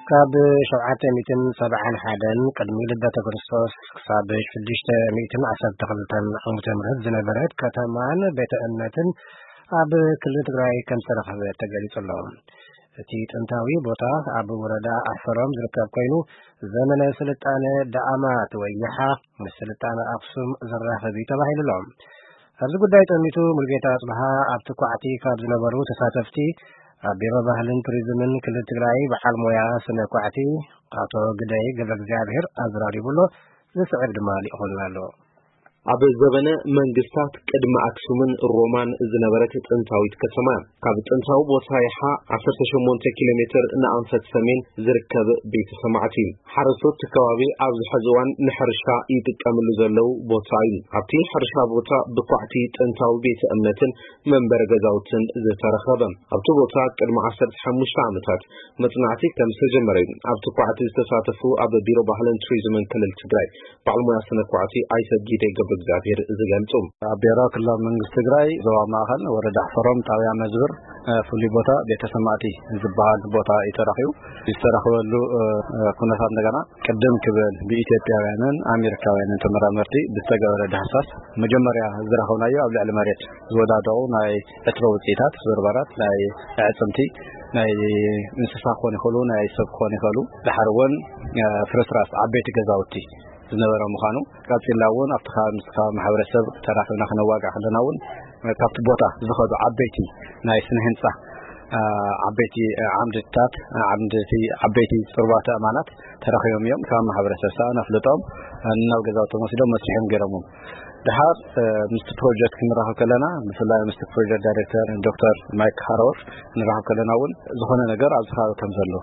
ካብ ሸውዓተ ሚእትን ሰብዓን ሓደን ቅድሚ ልደተ ክርስቶስ ክሳብ ሽዱሽተ ሚእትን ዓሰርተ ክልተን ዓመተ ምህረት ዝነበረት ከተማን ቤተ እምነትን ኣብ ክልል ትግራይ ከም ዝተረኸበ ተገሊጹ ኣሎ። እቲ ጥንታዊ ቦታ ኣብ ወረዳ ኣሕፈሮም ዝርከብ ኮይኑ፣ ዘመነ ስልጣነ ዳኣማት ወይ ይሓ ምስ ስልጣነ ኣክሱም ዘራኽብ እዩ ተባሂሉ ኣሎ። ኣብዚ ጉዳይ ጠሚቱ ሙልጌታ ኣጽብሃ ኣብቲ ኳዕቲ ካብ ዝነበሩ ተሳተፍቲ ኣብ ቢሮ ባህልን ቱሪዝምን ክልል ትግራይ በዓል ሞያ ስነ ኳዕቲ ኣቶ ግደይ ገብረ እግዚኣብሔር ኣዘራሪቡ ኣሎ። ዝስዕብ ድማ ልኢኹልና ኣሎ። ኣብ ዘበነ መንግስታት ቅድሚ ኣክሱምን ሮማን ዝነበረት ጥንታዊት ከተማ፣ ካብ ጥንታዊ ቦታ ይሓ ዓሰርተ ሸሞንተ ኪሎ ሜትር ንኣንፈት ሰሜን ዝርከብ ቤተ ሰማዕቲ። ሓረስቶት እቲ ከባቢ ኣብዚ ሕዚ እዋን ንሕርሻ ይጥቀምሉ ዘለዉ ቦታ እዩ። ኣብቲ ሕርሻ ቦታ ብኳዕቲ ጥንታዊ ቤተ እምነትን መንበሪ ገዛውትን ዝተረኸበ። ኣብቲ ቦታ ቅድሚ ዓሰርተ ሓሙሽተ ዓመታት መጽናዕቲ ከም ዝተጀመረ እዩ ኣብቲ ኳዕቲ ዝተሳተፉ ኣብ ቢሮ ባህልን ቱሪዝምን ክልል ትግራይ በዓል ሞያ ስነ ኳዕቲ ኣይተ ጊደይ ገብረ እግዚኣብሔር ዝገልጹ። ኣብ ቢሮ ክልላዊ መንግስቲ ትግራይ ዞባ ማእኸል ወረዳ ኣሕፈሮም ጣብያ መዝብር፣ እ፣ ፍሉይ ቦታ ቤተ ሰማዕቲ ዝበሃል ቦታ እዩ ተረኺቡ። ዝተረኽበሉ፣ እ፣ እ፣ ኩነታት እንደገና ቅድም ክብል ብኢትዮጵያውያንን ኣሜሪካውያንን ተመራመርቲ ብዝተገበረ ዳህሳስ መጀመርያ ዝረኸብናዮ ኣብ ልዕሊ መሬት ዝወዳደቑ ናይ ዕትሮ ውፅኢታት፣ ስብርባራት፣ ናይ ኣዕፅምቲ፣ ናይ እንስሳ ክኾኑ ይኽእሉ፣ ናይ ሰብ ክኾኑ ይኽእሉ። ድሓር እውን፣ እ፣ ፍርስራስ ዓበይቲ ገዛውቲ ዝነበረ ምዃኑ፣ ቀፂልና እውን ኣብቲ ከባቢ ምስ ከባቢ ማሕበረሰብ ተራኺብና ክነዋግዕ ከለና እውን፣ እ፣ ካብቲ ቦታ ዝኸዱ ዓበይቲ ናይ ስነ ህንፃ፣ እ፣ ዓበይቲ፣ እ፣ ዓምድታት፣ እ፣ ዓምድቲ ዓበይቲ ፅሩባተ ኣእማናት ተረኺቦም እዮም። ካብ ማሕበረሰብ ሰኣን ኣፍልጦም፣ እ፣ ናብ ገዛውቶም ወሲዶም መስሪሖም ገይሮምዎም። ድሓር፣ እ፣ ምስቲ ፕሮጀክት ክንራኸብ ከለና፣ ብፍላይ ምስቲ ፕሮጀክት ዳይሬክተር ዶክተር ማይክ ሃሮር ክንራኸብ ከለና እውን ዝኾነ ነገር ኣብዚ ከባቢ ከም ዘሎ፣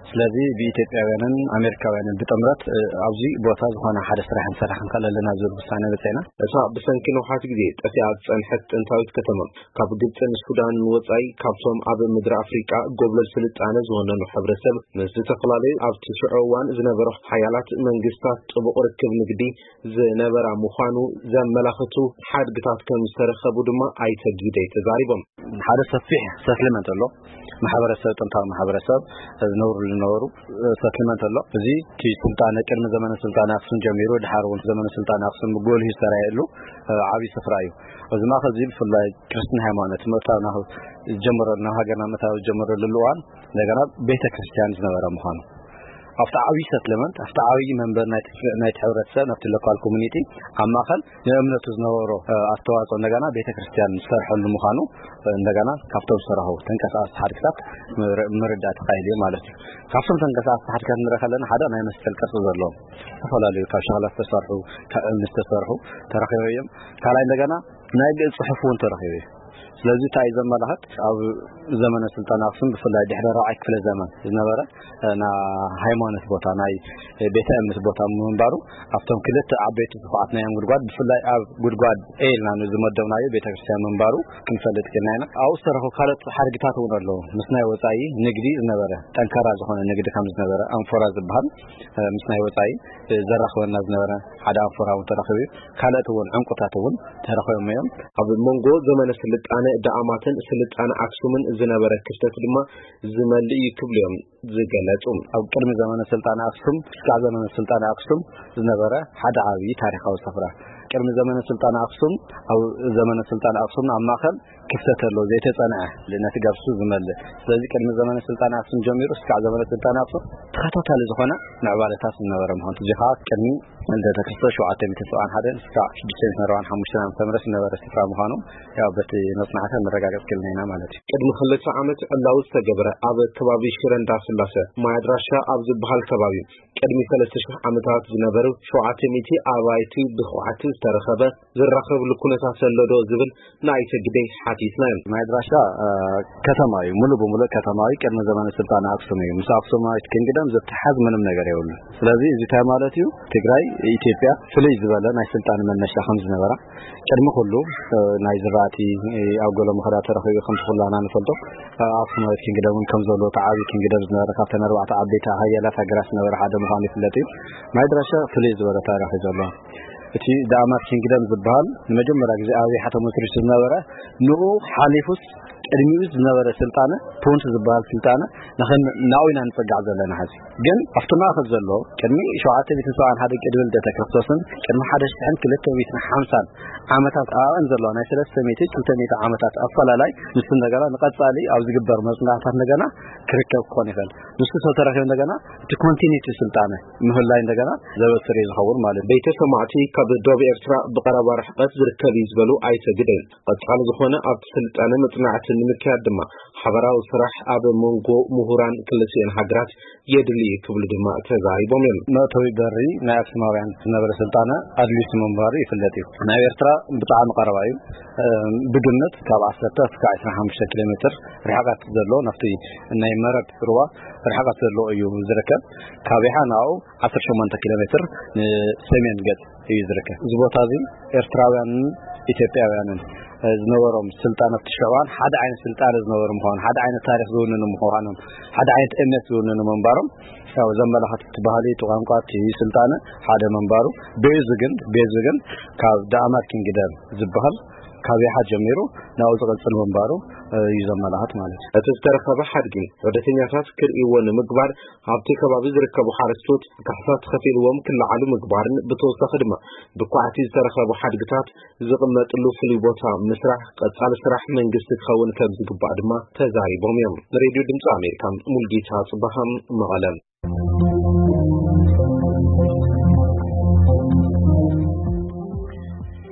ስለዚ ብኢትዮጵያውያንን ኣሜሪካውያንን ብጥምረት፣ እ፣ ኣብዚ ቦታ ዝኾነ ሓደ ስራሕ ክንሰርሕ ክንክእል ኣለና ዝብል ውሳነ በፂሕና። እታ ብሰንኪ ነውሓት ግዜ ጠፊኣ ዝጸንሐት ጥንታዊት ከተማ፣ ካብ ግብጽን ሱዳንን ወጻኢ ካብቶም ኣብ ምድሪ ኣፍሪቃ ጎብለል ስልጣነ ዝወነኑ ሕብረተሰብ፣ ምስ ዝተፈላለዩ ኣብቲ ሽዑ እዋን ዝነበሩ ሓያላት መንግስታት ጥቡቕ ርክብ ንግዲ ዝነበራ ምዃኑ ዘመላኽቱ ሓድግታት ከም ዝተረኸቡ ድማ ኣይተ ጊደይ ተዛሪቦም። ሓደ ሰፊሕ ሰትልመንት ኣሎ። ማሕበረሰብ፣ ጥንታዊ ማሕበረሰብ ዝነብሩ ዝነበሩ፣ እ፣ ሰትልመንት ኣሎ። እዚ እቲ ስልጣነ፣ ቅድሚ ዘመነ ስልጣነ ኣክሱም ጀሚሩ፣ ድሓር እውን ዘመነ ስልጣነ ኣክሱም ብጎልሂ ዝተራየሉ፣ እ፣ ዓብዪ ስፍራ እዩ። እዚ ማእኸል እዚ ብፍላይ ክርስትና ሃይማኖት ምእታው ናብ ዝጀመረሉ፣ ናብ ሃገርና ምእታው ዝጀመረሉ እዋን፣ እንደገና ቤተ ክርስቲያን ዝነበረ ምዃኑ፣ ኣብቲ ዓብዪ ሰትልመንት፣ ኣብቲ ዓብዪ መንበር ናይቲ፣ ናይቲ ሕብረተሰብ፣ ናብቲ ሎካል ኮሚኒቲ፣ ኣብ ማእኸል ንእምነቱ ዝነበሮ፣ እ፣ ኣስተዋፅኦ እንደገና ቤተ ክርስቲያን ዝሰርሐሉ ምዃኑ፣ እ፣ እንደገና ካብቶም ዝተረኸቡ ተንቀሳቐስቲ ሓድግታት ምር-፣ ምርዳእ ተኻኢሉ እዩ ማለት እዩ። ካብቶም ተንቀሳቐስቲ ሓድግታት ንርኢ ከለና ሓደ ናይ መስቀል ቅርፂ ዘለዎም ዝተፈላለዩ ካብ ሸኽላ ዝተሰርሑ፣ ካብ እምኒ ዝተሰርሑ ተረኺቦም እዮም። ካልኣይ እንደገና ናይ ግእዝ ጽሑፍ እውን ተረኺቡ እዩ። ስለዚ እንታይ እዩ ዘመላኽት? ኣብ ዘመነ ስልጣን ኣክሱም ብፍላይ ድሕሪ ራብዓይ ክፍለ ዘመን ዝነበረ፣ እ፣ ናይ ሃይማኖት ቦታ፣ ናይ ቤተ እምነት ቦታ ምንባሩ ኣብቶም ክልተ ዓበይቲ ዝኹዓት ናዮም ጉድጓድ፣ ብፍላይ ኣብ ጉድጓድ ኤ ኢልና ንዝመደብናዮ ቤተክርስትያን ምንባሩ ክንፈልጥ ክኢልና ኢና። ኣብኡ ዝተረኽቡ ካልኦት ሓድግታት እውን ኣለዉ። ምስ ናይ ወጻኢ ንግዲ ዝነበረ፣ ጠንካራ ዝኾነ ንግዲ ከም ዝነበረ፣ ኣንፎራ ዝበሃል፣ እ፣ ምስ ናይ ወጻኢ፣ እ፣ ዘራኽበና ዝነበረ ሓደ ኣንፎራ እውን ተረኺቡ እዩ። ካልኦት እውን ዕንቁታት እውን ተረኺቦም እዮም። ኣብ መንጎ ዘመነ ስልጣነ ዳኣማትን ስልጣነ ኣክሱምን ዝነበረ ክፍተት ድማ ዝመልእ እዩ ክብሉ እዮም ዝገለጹ። ኣብ ቅድሚ ዘመነ ስልጣነ ኣክሱም እስካዕ ዘመነ ስልጣነ ኣክሱም ዝነበረ ሓደ ዓብዪ ታሪኻዊ ስፍራ። ቅድሚ ዘመነ ስልጣነ ኣክሱም፣ ኣብ ዘመነ ስልጣነ ኣክሱም ኣብ ማእከል ክፍተት ኣሎ፣ ዘይተጸንዐ፣ ነቲ ገብሱ ዝመልእ። ስለዚ ቅድሚ ዘመነ ስልጣነ ኣክሱም ጀሚሩ እስካዕ ዘመነ ስልጣነ ኣክሱም ተኸታታሊ ዝኾነ ምዕባለታት ዝነበረ ምዃኑ፣ እዚ ኸኣ ቅድሚ ልደተ ክርስቶስ ሸውዓተ ሚእትን ሰብዓን ሓደን እስካዕ ሽዱሽተ ሚእትን ኣርባዓን ሓሙሽተን ዓመተ ምህረት ዝነበረ ስፍራ ምዃኑ፣ ያው በቲ መጽናዕቲ መረጋገጽ ክኢልና ኢና ማለት እዩ። ቅድሚ ክልተ ዓመት ዕላዊ ዝተገብረ ኣብ ከባቢ ሽረ እንዳስላሰ ማይ ኣድራሻ ኣብ ዝበሃል ከባቢ ቅድሚ ሰለስተ ሽሕ ዓመታት ዝነበሩ ሸውዓተ ሚእቲ ኣባይቲ ብኹዕቲ ዝተረኸበ ዝራኸብሉ ኩነታት ዘሎ ዶ ዝብል ንኣይተ ግደይ ሓቲትና። ማይ ድራሻ ከተማ እዩ፣ ሙሉ ብሙሉ ከተማ እዩ። ቅድሚ ዘመነ ስልጣነ ኣክሱም እዩ። ምስ ኣክሱማዊት ኪንግደም ዝተሓዝ ምንም ነገር የብሉ። ስለዚ እዚ እንታይ ማለት እዩ? ትግራይ ኢትዮጵያ ፍልይ ዝበለ ናይ ስልጣን መነሻ ከም ዝነበራ፣ ቅድሚ ኩሉ ናይ ዝራእቲ ኣብ ገሎ ምኸዳ ተረኺቡ ከም ኩላና ንፈልጦ። ኣክሱማዊት ኪንግደም እውን ከም ዘሎ፣ እቲ ዓብዪ ኪንግደም ዝነበረ፣ ካብተን ኣርባዕተ ዓበይቲ ሓያላት ሃገራት ዝነበረ ሓደ ምዃኑ ይፍለጥ እዩ። ማይ ድራሻ ፍልይ ዝበለ ታሪኽ እዩ ዘለዎ። እቲ ዳኣማት ኪንግደም ዝበሃል ንመጀመርያ ግዜ ኣብ ይሓ ተመስሪቱ ዝነበረ፣ ንኡ ሓሊፉስ ቅድሚኡ ዝነበረ ስልጣነ፣ ፑንት ዝበሃል ስልጣነ፣ ንኸን ናኡ ኢና ንጸጋዕ ዘለና። ሕዚ ግን ኣብቲ ማእከል ዘሎ፣ ቅድሚ ሸውዓተ ሚእትን ሰብዓን ሓደ ቅድሚ ልደተ ክርስቶስን ቅድሚ ሓደ ሽሕን ክልተ ሚእትን ሓምሳን ዓመታት ኣብኣን ዘለዋ ናይ ሰለስተ ሚእቲ ክልተ ሚእቲ ዓመታት ኣፈላላይ፣ ንሱ እንደገና ንቐጻሊ ኣብ ዝግበር መጽናዕታት እንደገና ክርከብ ክኾን ይኽእል። ንሱ ተተረኺቡ እንደገና እቲ ኮንቲኒቲ ስልጣነ ምህላይ እንደገና ዘበስር እዩ ዝኸውን ማለት እዩ። ቤተ ሰማዕቲ ካብ ዶብ ኤርትራ ብቐረባ ርሕቀት ዝርከብ እዩ ዝበሉ ኣይተ ግደይ፣ ቀጻሊ ዝኾነ ኣብቲ ስልጣነ መጽናዕቲ ንምክያድ ድማ ሓበራዊ ስራሕ ኣብ መንጎ ምሁራን ክልቲኤን ሃገራት የድሊ እዩ ክብሉ ድማ ተዛሪቦም እዮም። መእተዊ በሪ ናይ ኣክሱማውያን ዝነበረ ስልጣነ ኣድሊሱ ምንባሩ ይፍለጥ እዩ። ናብ ኤርትራ ብጣዕሚ ቀረባ እዩ። ብግምት ካብ ዓሰርተ እስካብ ዕስራን ሓሙሽተን ኪሎ ሜትር ርሕቀት ዘሎ፣ ናብቲ ናይ መረብ ሩባ ርሕቀት ዘሎ እዩ ዝርከብ። ካብ ይሓ ናብኡ ዓሰርተ ሸሞንተ ኪሎ ሜትር ንሰሜን ገጽ እዩ ዝርከብ። እዚ ቦታ እዚ ኤርትራውያንን ኢትዮጵያውያንን ዝነበሮም ስልጣነ ኣብቲ ሽዑ እዋን ሓደ ዓይነት ስልጣነ ዝነበሩ ምዃኑ፣ ሓደ ዓይነት ታሪኽ ዝውንኑ ምዃኖም፣ ሓደ ዓይነት እምነት ዝውንኑ ምንባሮም ያው ዘመላኽት፣ እቲ ባህሊ፣ እቲ ቋንቋ፣ እቲ ስልጣነ ሓደ ምንባሩ። ቤዙ ግን፣ ቤዙ ግን ካብ ዳኣማት ኪንግደም ዝበሃል ካብ ይሓ ጀሚሩ ናብኡ ዝቐጽል ምንባሩ እዩ ዘመላኽት ማለት እዩ። እቲ ዝተረኸበ ሓድጊ ዑደተኛታት ክርእይዎ ንምግባር ኣብቲ ከባቢ ዝርከቡ ሓረስቶት ካሕሳ ተኸፊልዎም ክለዓሉ ምግባርን ብተወሳኺ ድማ ብኳዕቲ ዝተረኸቡ ሓድግታት ዝቕመጥሉ ፍሉይ ቦታ ምስራሕ ቀጻሊ ስራሕ መንግስቲ ክኸውን ከም ዝግባእ ድማ ተዛሪቦም እዮም። ንሬድዮ ድምፂ ኣሜሪካ ሙልጌታ ጽባሃም መቐለ።